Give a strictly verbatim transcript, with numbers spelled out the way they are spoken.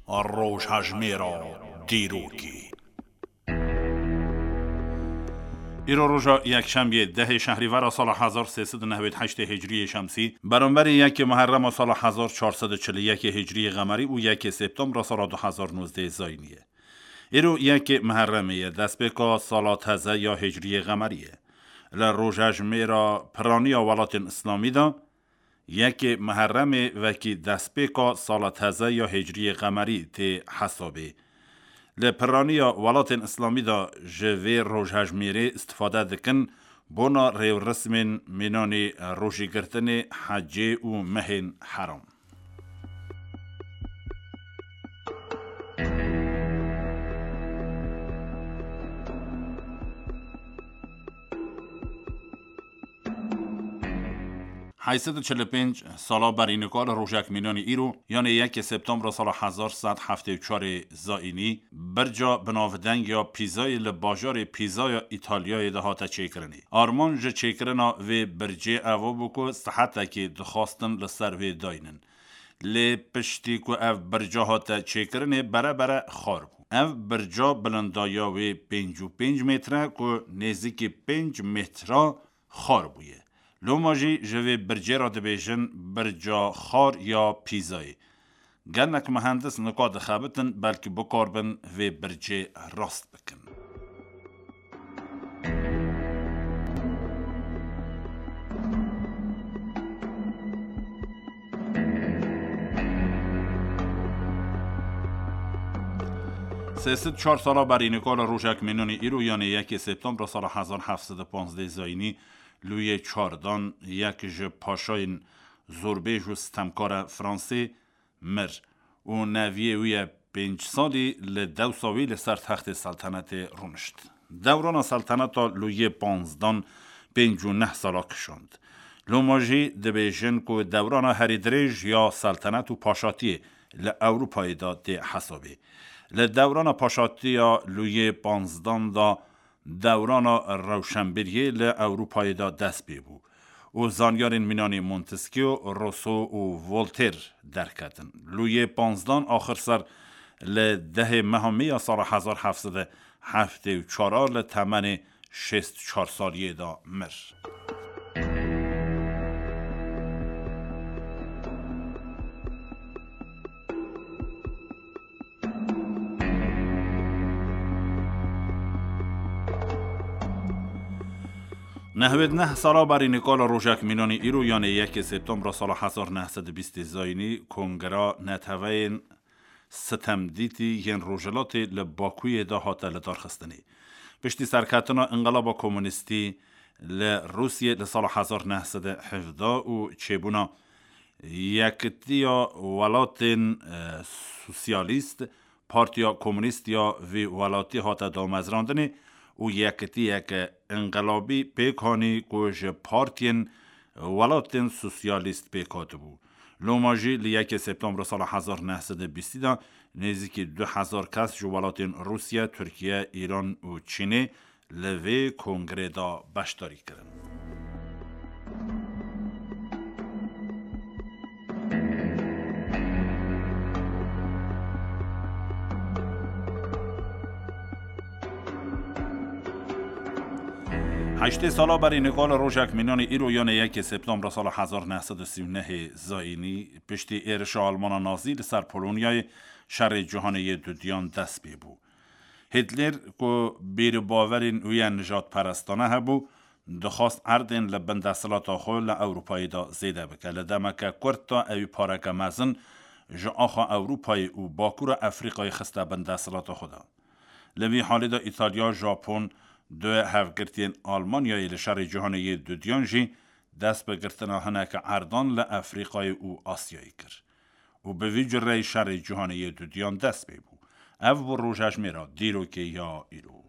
Rojhejmêra dîrokê. Îro roja yekşemiyê dehê şehrîvera sala hezar sê sed û newêd heştê hicriyê şemsî, beramberî yekê Muherrema sala hezar çar sed û çil û yekê hicriyê qemerî û yekê Septembra sala du hezar nozdeh zayînî ye. Îro yekê Muherremê ye, destpêka sala teze ya hicriyê qemerî ye. Li rojhejmêra piraniya welatên Îslamî de, yekê Muherremê wekî destpêka sala teze ya hicriyê qemerî tê hesabê. Li piraniya welatên Îslamî de ji vê rojhejmêrê îstifade dikin bona rêwrismên mînanî rojîgirtinê, hecê û mehên heram. Heyşt sed û çil û pênc sala berî nika li rojek mînanî îro, yanê yekê Septembra sala hezar sed heftê û çarê zayînî, birca binavdeng ya Pîzayê li bajarê Pîza ya Îtalyayê de hate çêkirinê. Armanc ji çêkirina vê bircê evo bû ku sihetekê dixwastin li ser wê daynin. Lê piştî ku ev birca hate çêkirinê, bere bere xar bû. Ev birca bilindaya wê pêncî û pênc metre ku nêzîkî pênc metra xar bûye. Loma jî ji vê bircê re dibêjin birca xar ya Pîzayê. Gelek muhendis nika dixebitin, belkî bikarbin vê bircê rast bikin. Sê sed çar sala berî nika li rojek mînanî îro, yanê yekê Septembra sala hezar heft sed û panzdeh zayînî, Lûyê çardan, yek ji paşayên zorbêj û sitemkara Fransê, mir û neviyê wî ye pênc salî li dewsa wî li ser textê seltenetê rûnişt. Dewrana selteneta Lûyê panzdan pênc û neh sala kişand. Loma jî dibêjin ku dewrana herî dirêj ya seltenet û paşatiyê li Ewropayê de tê hesabê. Li dewrana paşatiya Lûyê panzdan de dewrana rewşenbîriyê li Ewropayê de dest pê bû û zanyarên mînanî Montesquieu, Rousseau û Voltaire derketin. Lûyê panzdan axir ser li dehê meha Mê ya sala hezar heft sed û heftê û çar a li temenê şêst û çar saliyê de mir. Nehwêd neh sala berî nika li rojek mînanî îro, yanê yekê Septembra sala hezar neh sed û bîstê zayînî, Kongreya Neteweyên Sitemdîtî yên Rojhilatê li Bakuyê de hate lidarxistinê. Piştî serketina Înqilaba Komunîstî li Rûsiyê li sala hezar neh sed û hevdeh û çêbûna Yekitiya Welatên, e, Sosyalîst, Partiya Komunîst ya vî welatî hate damezrandinê û yekitiyeke înqilabî pêk hanî ku ji partiyên welatên sosyalîst pêk hatibû. Loma jî li yekê Septembra sala hezar neh sed û bîstî de nêzîkî du hezar kes ji welatên Rûsya, Tirkiye, Îran û Çînê li vê kongrê de beşdarî kirin. Heştê sala berî nika li rojek mînanî îro, yanê yekê Septembra sala hezar neh sed û sî û nehê zayînî, piştî êrişa Almana Nazî li ser Polonyayê, şerê cîhanê yê dudiyan dest pê bû. Hitler, ku bîr û bawerên wî ya nijadperestane hebû, dixwest erdên li bin desthilata xwe li Ewropayê de zêde bike. Li demeke kurt de ewî pareke mezin ji axa Ewropayê û Bakûra Efrîqayê xiste bin desthilata xwe de. Li vî halê de Îtalya, Japon, du hevgirtiyên Almanyayê li şerê cîhanê yê dudiyan jî dest bi girtina hineke erdan li Efrîqayê û Asyayê kir. Û bi vî cureyî şerê cîhanê yê dudiyan dest pê bû. Ev bû rojhejmêra dîrokê ya îro.